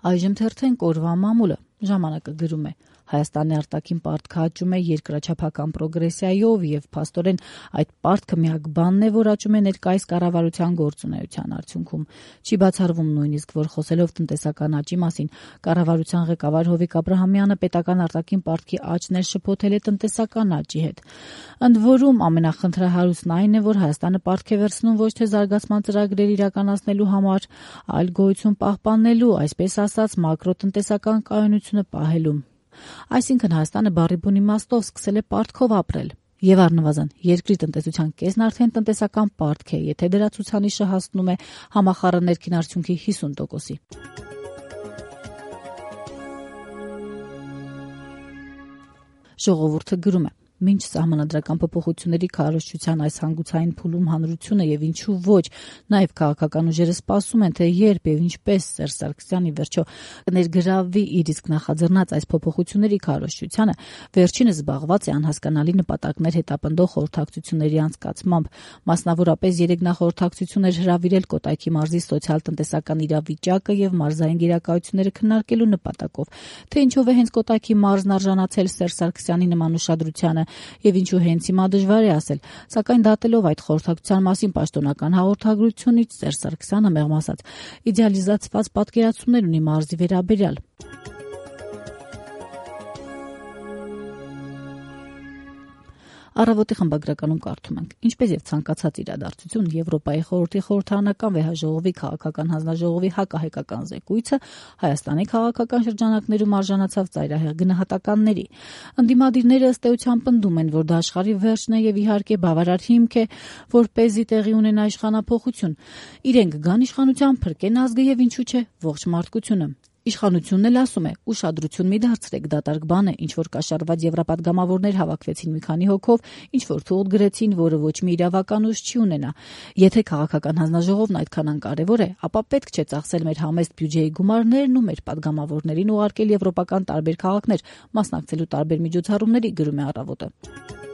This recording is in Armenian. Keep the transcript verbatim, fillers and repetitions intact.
Այժմ թերթենք օրվա մամուլը, ժամանակը գրում է. Հայաստանի արտաքին պարտքը աճում է երկրաչափական պրոգրեսիայով եւ փաստորեն այդ պարտքը միակ բանն է, որ աճում է ներկայիս կառավարության գործունեության արդյունքում։ Չի բացառվում նույնիսկ, որ խոսելով տնտեսական աճի մասին, կառավարության ղեկավար Հովիկ Աբրահամյանը պետական արտաքին պարտքի աճն է շփոթել է տնտեսական աճի հետ։ Ընդ որում ամենախնդրահարույցն այն է, որ Հայաստանը պարտք է վերցնում ոչ թե զարգացման ծրագրեր իրականացնելու համար, այլ գոյություն պահպանելու, այսպես ասած, մակրոտնտեսական կայունությունը պահելու։ Այսինքն Հայաստանը բառի բուն իմաստով սկսել է պարտքով ապրել։ Եվ առնվազն երկրի տնտեսության կեսն արդեն տնտեսական պարտք է, եթե դրա ցուցանիշը հասնում է համախառն ներքին արդյունքի հիսուն տոկոսի։ Ժողովուրդը գրում է. Մինչ սահմանադրական փոփոխությունների քարոզչության այս հանգուցային փուլում հանրությունը եւ ինչու ոչ, նաեւ քաղաքական ուժերը սպասում են, թե երբ եւ ինչպես Սերժ Սարգսյանը վերջո կներգրավվի իր իսկ նախաձեռնած այս փոփոխությունների քարոզչությանը, վերջինս զբաղված է անհասկանալի նպատակներ հետապնդող խորհրդակցությունների անցկացմամբ, մասնավորապես երեք նախորդակցություններ հրավիրել Կոտայքի մարզի սոցիալ-տնտեսական իրավիճակը եւ մարզային գերակայությունները քննարկելու նպատակով, թե ինչով է հենց Կոտայքի մարզն արժանացել Սերժ Սարգսյանի նման ուշադրությանը եւ ինչու հենց հիմա դժվար է ասել, սակայն դատելով այդ խորհրդակցության մասին պաշտոնական հաղորդագրությունից Սերժ Սարգսյանը մեղմ ասած իդեալիզացված պատկերացումներ ունի մարզի վերաբերյալ։ Առավոտի խմբագրականում կարդում ենք. ինչպես եւ ցանկացած իրադարձություն, Եվրոպայի խորհրդի խորհրդարանական վեհաժողովի քաղաքական հանձնաժողովի հակահայկական զեկույցը Հայաստանի քաղաքական շրջանակներում արժանացավ ծայրահեղ գնահատականների։ Ընդդիմադիրները ըստ էության պնդում են, որ դա աշխարհի վերջն է եւ իհարկե բավարար հիմք է, որպեսզի տեղի ունենա իշխանափոխություն։ Իրենք գան իշխանության, փրկեն ազգը եւ ինչու՞ չէ, ողջ մարդկությունը։ Իշխանությունն էլ ասում է, ուշադրություն մի դարձրեք, դատարկ բան է, ինչ որ կաշառված եվրապատգամավորներ հավաքվեցին մի քանի հոգով, ինչ որ թուղթ գրեցին, որը ոչ մի իրավական ուժ չի ունենա։ Եթե քաղաքական հանձնաժողովն այդքան անկարևոր է, ապա պետք չէ ծախսել մեր համեստ բյուջեի գումարներն ու մեր պատգամավորներին ուղարկել եվրոպական տարբեր քաղաքներ, մասնակցելու տարբեր միջոցառումների, գրում է Առավոտը։